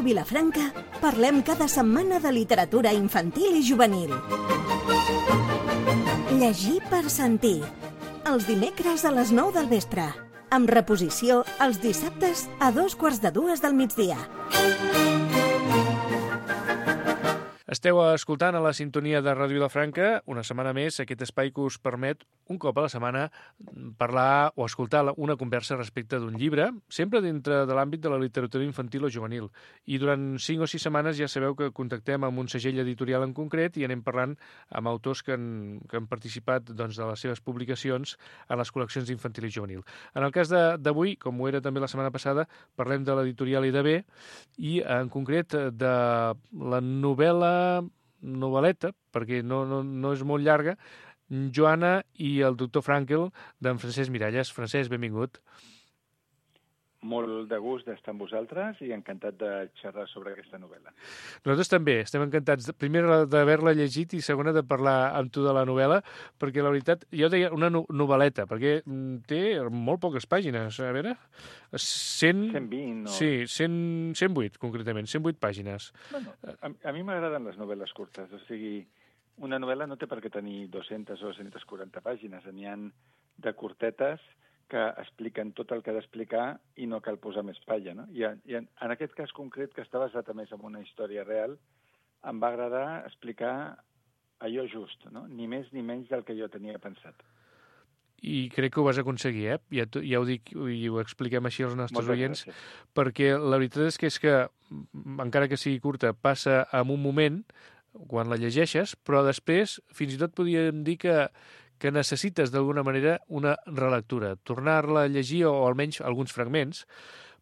Vilafranca parlem cada setmana de literatura infantil i juvenil. Llegir per sentir. Els dimecres a les 9 del vespre. Amb reposició els dissabtes a 2:45 del migdia. Esteu escoltant a la sintonia de Ràdio Vilafranca, una setmana més, aquest espai que us permet un cop a la setmana parlar o escoltar una conversa respecte d'un llibre, sempre dintre de l'àmbit de la literatura infantil o juvenil. I durant 5 o 6 setmanes ja sabeu que contactem amb un segell editorial en concret i anem parlant amb autors que han participat de les seves publicacions a les col·leccions infantil i juvenil. En el cas d'avui, com ho era també la setmana passada, parlem de l'editorial IDB i en concret de la novel·leta, perquè no és molt llarga, Joana i el doctor Frankel, d'en Francesc Miralles. Francesc, benvingut. Molt de gust d'estar amb vosaltres i encantat de xerrar sobre aquesta novel·la. Nosaltres també estem encantats, primer d'haver-la llegit i segona de parlar amb tu de la novel·la, perquè la veritat, jo deia una novel·leta, perquè té molt poques pàgines, a veure... 120 o... Sí, 108, concretament, 108 pàgines. Bueno, a mi m'agraden les novel·les curtes, o sigui, una novel·la no té per què tenir 200 o 240 pàgines, n'hi ha de curtetes que expliquen tot el que ha d'explicar i no cal posar més palla, no? I en aquest cas concret, que està basat a més en una història real, em va agradar explicar allò just, no? Ni més ni menys del que jo tenia pensat. I crec que ho vas aconseguir, ja ho dic i ho expliquem així als nostres oients, perquè la veritat és que, encara que sigui curta, passa en un moment, quan la llegeixes, però després fins i tot podríem dir que necessites d'alguna manera una relectura, tornar-la a llegir o almenys alguns fragments,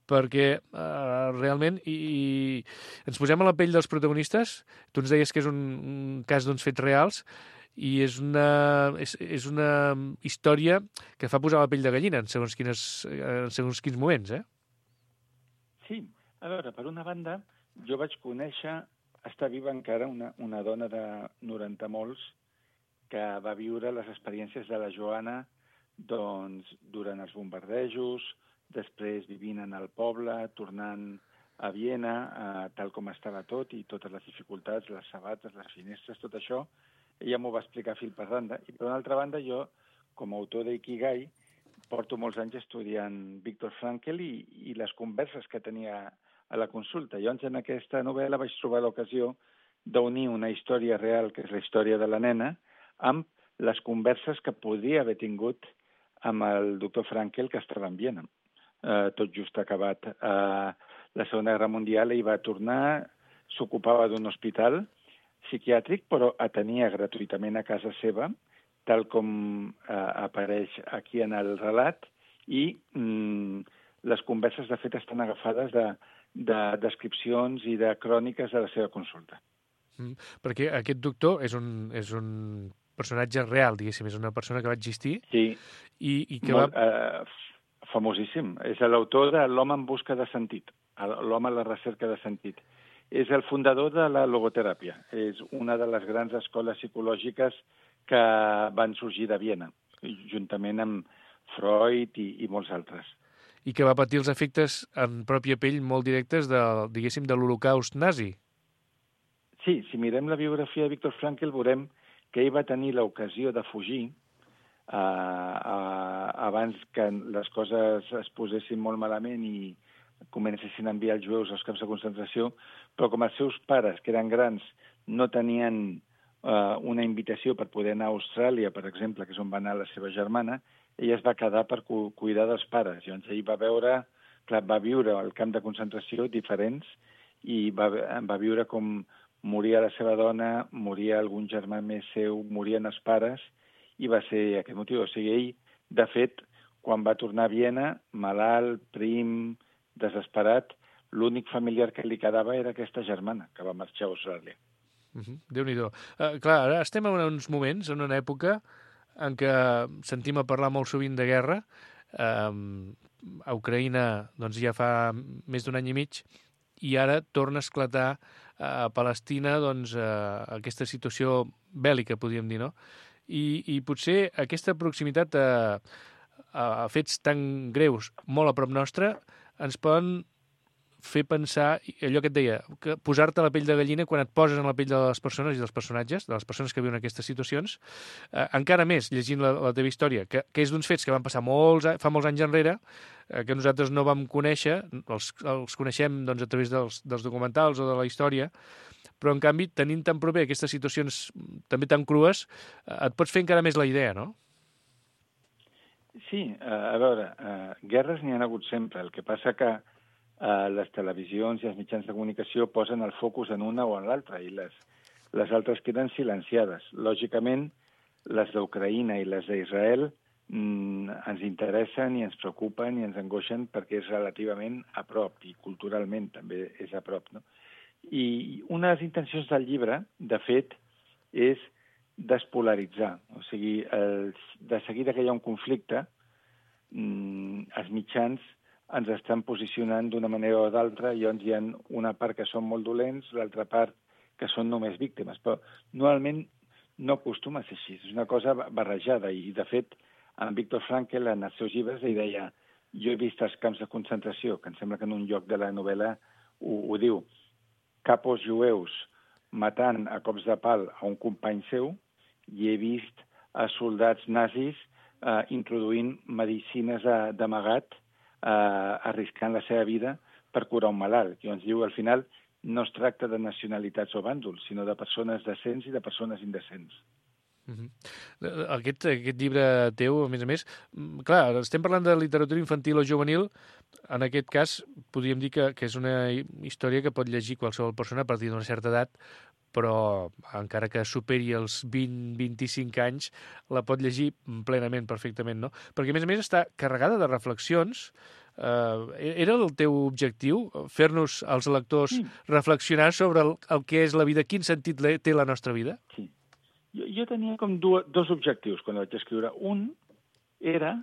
perquè realment ens posem a la pell dels protagonistes. Tu ens deies que és un cas d'uns fets reals i és una història que fa posar la pell de gallina en segons quins moments, eh? Sí, a veure, per una banda, jo vaig conèixer, està viva encara, una dona de 90 molts que va viure les experiències de la Joana durant els bombardejos, després vivint en el poble, tornant a Viena, tal com estava tot, i totes les dificultats, les sabates, les finestres, tot això. Ella m'ho va explicar fil per randa. I per una altra banda, jo, com a autor d'Ikigai, porto molts anys estudiant Viktor Frankl i les converses que tenia a la consulta. Llavors, en aquesta novel·la vaig trobar l'ocasió d'unir una història real, que és la història de la nena, amb les converses que podria haver tingut amb el doctor Frankl, que estava en Viena. Tot just acabat la Segona Guerra Mundial, ell va tornar, s'ocupava d'un hospital psiquiàtric, però atenia gratuïtament a casa seva, tal com apareix aquí en el relat, i les converses, de fet, estan agafades de descripcions i de cròniques de la seva consulta. Perquè aquest doctor és un personatge real, diguéssim, és una persona que va existir. Sí, i que famosíssim. És l'autor de L'home en busca de sentit, l'home a la recerca de sentit. És el fundador de la logoteràpia. És una de les grans escoles psicològiques que van sorgir de Viena, juntament amb Freud i molts altres. I que va patir els efectes en pròpia pell molt directes de l'Holocaust nazi. Sí, si mirem la biografia de Viktor Frankl veurem que ell va tenir l'ocasió de fugir abans que les coses es posessin molt malament i comencessin a enviar els jueus als camps de concentració, però com els seus pares, que eren grans, no tenien una invitació per poder anar a Austràlia, per exemple, que és on va anar la seva germana, ella es va quedar per cuidar dels pares. Llavors ell va viure al camp de concentració diferents i va viure com moria la seva dona, moria algun germà més seu, morien els pares, i va ser aquest motiu. O sigui, ell, de fet, quan va tornar a Viena, malalt, prim, desesperat, l'únic familiar que li quedava era aquesta germana, que va marxar a Austràlia. Déu-n'hi-do. Clar, ara estem en uns moments, en una època en què sentim a parlar molt sovint de guerra. A Ucraïna ja fa més d'un any i mig, i ara torna a esclatar a Palestina aquesta situació bèl·lica, podríem dir, no? I potser aquesta proximitat a fets tan greus, molt a prop nostre, ens poden fer pensar, allò que et deia, que posar-te a la pell de gallina quan et poses en la pell de les persones i dels personatges, de les persones que viuen aquestes situacions, encara més llegint la teva història, que és d'uns fets que van passar fa molts anys enrere, que nosaltres no vam conèixer, els coneixem doncs, a través dels documentals o de la història, però en canvi, tenint tan proper aquestes situacions també tan crues, et pots fer encara més la idea, no? Sí, a veure, guerres n'hi ha hagut sempre. El que passa que les televisions i els mitjans de comunicació posen el focus en una o en l'altra i les altres queden silenciades. Lògicament, les d'Ucraïna i les d'Israel ens interessen i ens preocupen i ens angoixen perquè és relativament a prop i culturalment també és a prop, no? I una de les intencions del llibre, de fet, és despolaritzar. O sigui, de seguida que hi ha un conflicte, els mitjans ens estan posicionant d'una manera o d'altra, i llavors hi ha una part que són molt dolents, l'altra part que són només víctimes. Però normalment no acostuma a ser així, és una cosa barrejada. I, de fet, en Viktor Frankl, en els seus llibres, ell deia: jo he vist els camps de concentració, que em sembla que en un lloc de la novel·la ho diu, capos jueus matant a cops de pal a un company seu, i he vist a soldats nazis introduint medicines d'amagat, arriscant la seva vida per curar un malalt. I ens diu, al final, no es tracta de nacionalitats o bàndols, sinó de persones decents i de persones indecents. Aquest llibre teu, a més, clar, estem parlant de literatura infantil o juvenil, en aquest cas podríem dir que és una història que pot llegir qualsevol persona a partir d'una certa edat, però encara que superi els 20-25 anys, la pot llegir plenament, perfectament, no? Perquè, a més, està carregada de reflexions. Era el teu objectiu, fer-nos, als lectors, reflexionar sobre el que és la vida, quin sentit té la nostra vida? Sí. Jo tenia com dos objectius quan vaig escriure. Un era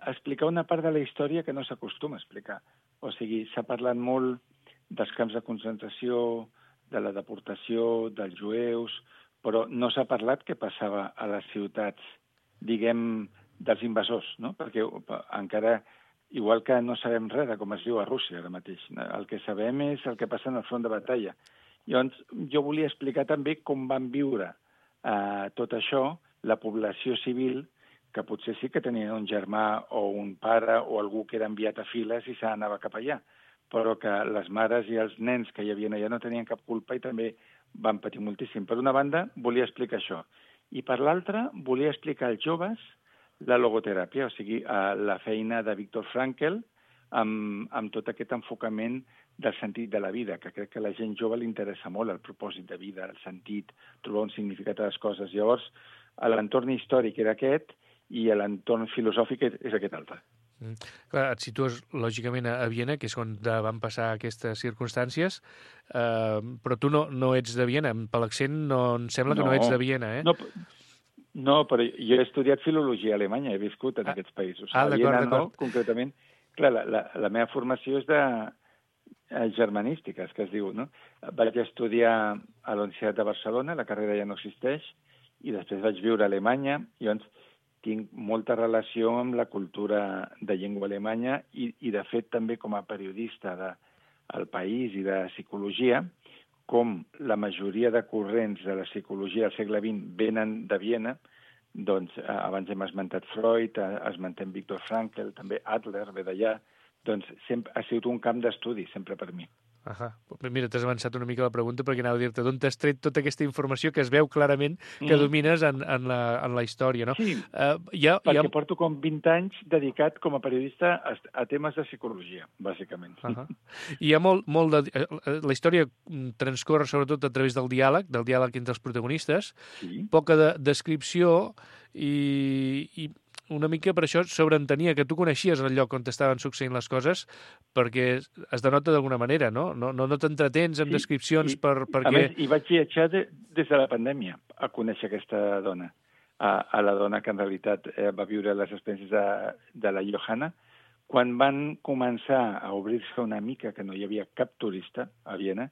explicar una part de la història que no s'acostuma a explicar. O sigui, s'ha parlat molt dels camps de concentració, de la deportació, dels jueus, però no s'ha parlat què passava a les ciutats, diguem, dels invasors, no? Perquè encara, igual que no sabem res de com es viu a Rússia ara mateix, el que sabem és el que passa en el front de batalla. Llavors, jo volia explicar també com van viure tot això, la població civil, que potser sí que tenien un germà o un pare o algú que era enviat a files i s'anava cap allà, però que les mares i els nens que hi havia allà no tenien cap culpa i també van patir moltíssim. Per una banda, volia explicar això. I per l'altra, volia explicar als joves la logoteràpia, o sigui, la feina de Viktor Frankl amb tot aquest enfocament del sentit de la vida, que crec que a la gent jove li interessa molt el propòsit de vida, el sentit, trobar un significat a les coses. Llavors, l'entorn històric era aquest i l'entorn filosòfic és aquest altre. Clar, et situes, lògicament, a Viena, que és on van passar aquestes circumstàncies, però tu no ets de Viena. Per l'accent em sembla que no ets de Viena, eh? No, però jo he estudiat filologia alemanya, he viscut en aquests països. A Viena no, concretament. Clar, la meva formació és de germanístiques, que es diu, no? Vaig estudiar a la Universitat de Barcelona, la carrera ja no existeix, i després vaig viure a Alemanya, i llavors tinc molta relació amb la cultura de llengua alemanya i de fet, també com a periodista del País i de psicologia, com la majoria de corrents de la psicologia del segle XX venen de Viena, doncs abans hem esmentat Freud, esmentem Viktor Frankl, també Adler ve d'allà, doncs sempre ha sigut un camp d'estudi, sempre per mi. Mira, t'has avançat una mica la pregunta perquè anava a dir-te d'on t'has tret tota aquesta informació que es veu clarament que domines en la història, no? Sí, perquè porto com 20 anys dedicat com a periodista a temes de psicologia, bàsicament. I hi ha molt de... La història transcorre sobretot a través del diàleg entre els protagonistes, poca descripció i una mica per això sobreentenia que tu coneixies el lloc on estaven succeint les coses, perquè es denota d'alguna manera, no? No t'entretens amb descripcions perquè... A més, hi vaig viatjar des de la pandèmia a conèixer aquesta dona, a la dona que en realitat va viure les experiències de la Johanna, quan van començar a obrir-se una mica, que no hi havia cap turista a Viena,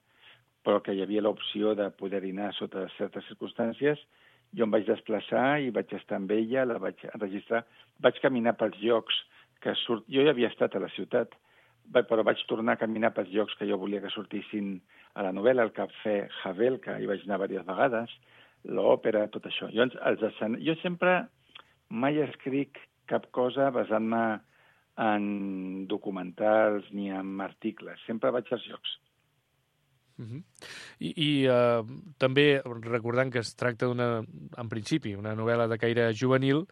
però que hi havia l'opció de poder anar sota certes circumstàncies. Jo em vaig desplaçar i vaig estar amb ella, la vaig enregistrar, vaig caminar pels llocs que surt... Jo ja havia estat a la ciutat, però vaig tornar a caminar pels llocs que jo volia que sortissin a la novel·la, el Cafè Havel, que hi vaig anar diverses vegades, l'òpera, tot això. Jo sempre mai escric cap cosa basant-me en documentals ni en articles. Sempre vaig als llocs. I també, recordant que es tracta en principi, una novel·la de caire juvenil,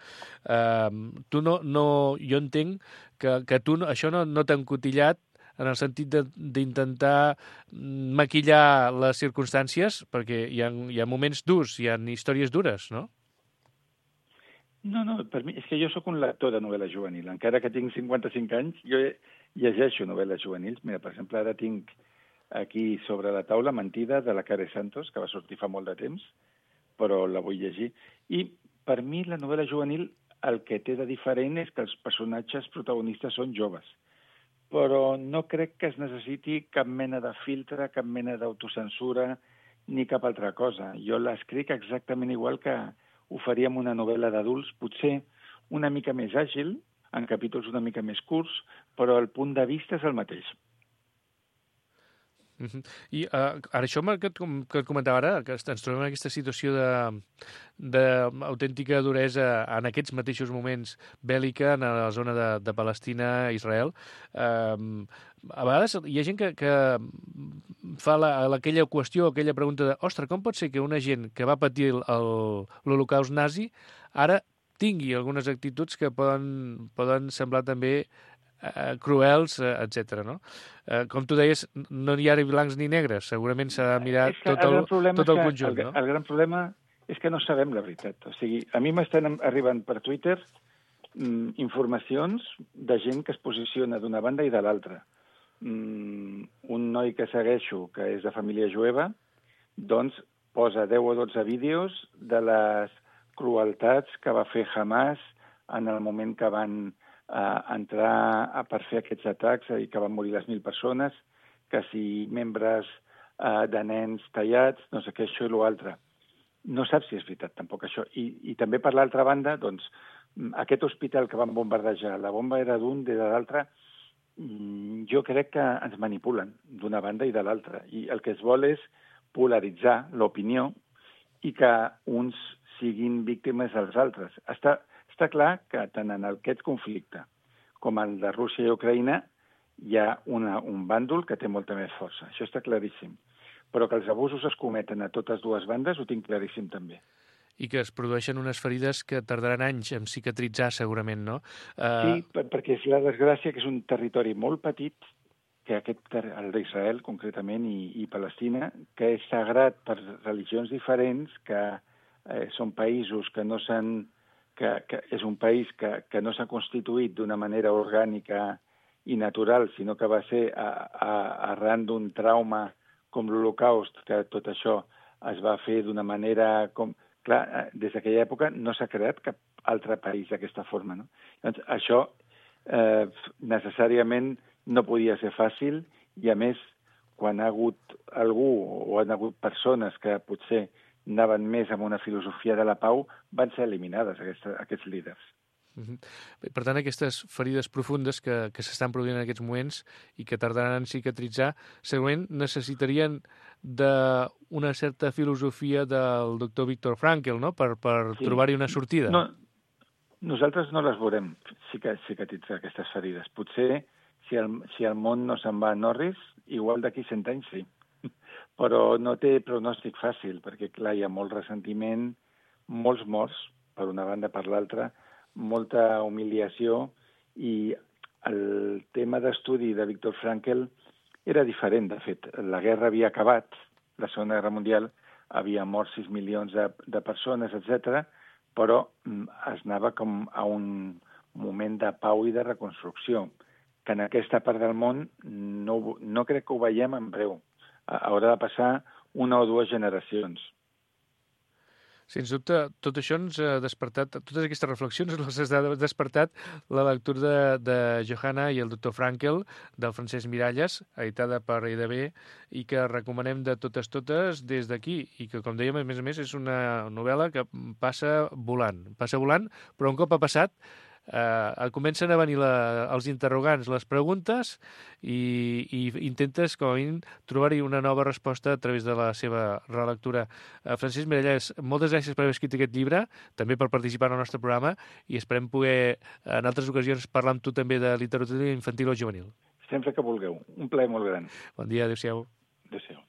jo entenc que tu això no t'ha encotillat en el sentit d'intentar maquillar les circumstàncies, perquè hi ha moments durs, hi ha històries dures, no? No, per mi, és que jo sóc un lector de novel·la juvenil. Encara que tinc 55 anys, jo llegeixo novel·les juvenils. Mira, per exemple, ara tinc aquí sobre la taula Mentida, de la Care Santos, que va sortir fa molt de temps, però la vull llegir. I per mi la novel·la juvenil el que té de diferent és que els personatges protagonistes són joves. Però no crec que es necessiti cap mena de filtre, cap mena d'autocensura, ni cap altra cosa. Jo l'escric exactament igual que ho faríem una novel·la d'adults, potser una mica més àgil, en capítols una mica més curts, però el punt de vista és el mateix. I ara això que et comentava ara, que ens trobem en aquesta situació d'autèntica duresa en aquests mateixos moments bèl·lica en la zona de Palestina, Israel, a vegades hi ha gent que fa aquella qüestió, aquella pregunta de ostres, com pot ser que una gent que va patir l'Holocaust nazi ara tingui algunes actituds que poden semblar també cruels, etc. No? Com tu deies, no hi ha blancs ni negres. Segurament s'ha de mirar tot el conjunt. No? El gran problema és que no sabem la veritat. O sigui, a mi m'estan arribant per Twitter informacions de gent que es posiciona d'una banda i de l'altra. Un noi que segueixo, que és de família jueva, doncs posa 10 o 12 vídeos de les crueltats que va fer Hamas en el moment que van entrar per fer aquests atacs i que van morir les 1.000 persones, que si membres de nens tallats, no sé què, això i l'altre. No saps si és veritat, tampoc, això. I també, per l'altra banda, doncs, aquest hospital que van bombardejar, la bomba era d'un, de l'altre, jo crec que ens manipulen d'una banda i de l'altra. I el que es vol és polaritzar l'opinió i que uns siguin víctimes dels altres. Està clar que tant en aquest conflicte com el de Rússia i Ucraïna hi ha un bàndol que té molta més força. Això està claríssim. Però que els abusos es cometen a totes dues bandes ho tinc claríssim també. I que es produeixen unes ferides que tardaran anys en cicatritzar segurament, no? Sí, perquè és la desgràcia que és un territori molt petit, que el d'Israel concretament i Palestina, que és sagrat per religions diferents, que són països que no s'han que és un país que no s'ha constituït d'una manera orgànica i natural, sinó que va ser arran d'un trauma com l'Holocaust, que tot això es va fer d'una manera com... Clar, des d'aquella època no s'ha creat cap altre país d'aquesta forma, no? Doncs això necessàriament no podia ser fàcil i, a més, quan ha hagut algú o han hagut persones que potser anaven més amb una filosofia de la pau, van ser eliminades, aquests líders. Per tant, aquestes ferides profundes que s'estan produint en aquests moments i que tardaran en cicatritzar, segurament necessitarien d'una certa filosofia del doctor Viktor Frankl, no?, per trobar-hi una sortida. No, nosaltres no les veurem cicatritzar, aquestes ferides. Potser, si el món no se'n va a Norris, igual d'aquí 100 anys sí. Però no té pronòstic fàcil, perquè, clar, hi ha molt ressentiment, molts morts, per una banda per l'altra, molta humiliació, i el tema d'estudi de Viktor Frankl era diferent, de fet. La guerra havia acabat, la Segona Guerra Mundial, havia mort 6 milions de persones, etc., però es anava com a un moment de pau i de reconstrucció, que en aquesta part del món no crec que ho veiem en breu. Haurà de passar 1 o 2 generacions. Sens dubte, tot això ens ha despertat, totes aquestes reflexions les ha despertat la lectura de Johanna i el doctor Frankl, del Francesc Miralles, editada per EDB, i que recomanem de totes des d'aquí, i que, com dèiem, a més és una novel·la que passa volant, però un cop ha passat comencen a venir els interrogants, les preguntes, i intentes, com a mínim, trobar-hi una nova resposta a través de la seva relectura. Francesc Mirallès, moltes gràcies per haver escrit aquest llibre, també per participar en el nostre programa, i esperem poder, en altres ocasions, parlar amb tu també de literatura infantil o juvenil. Sempre que vulgueu. Un plaer molt gran. Bon dia, adéu-siau. Adéu-siau.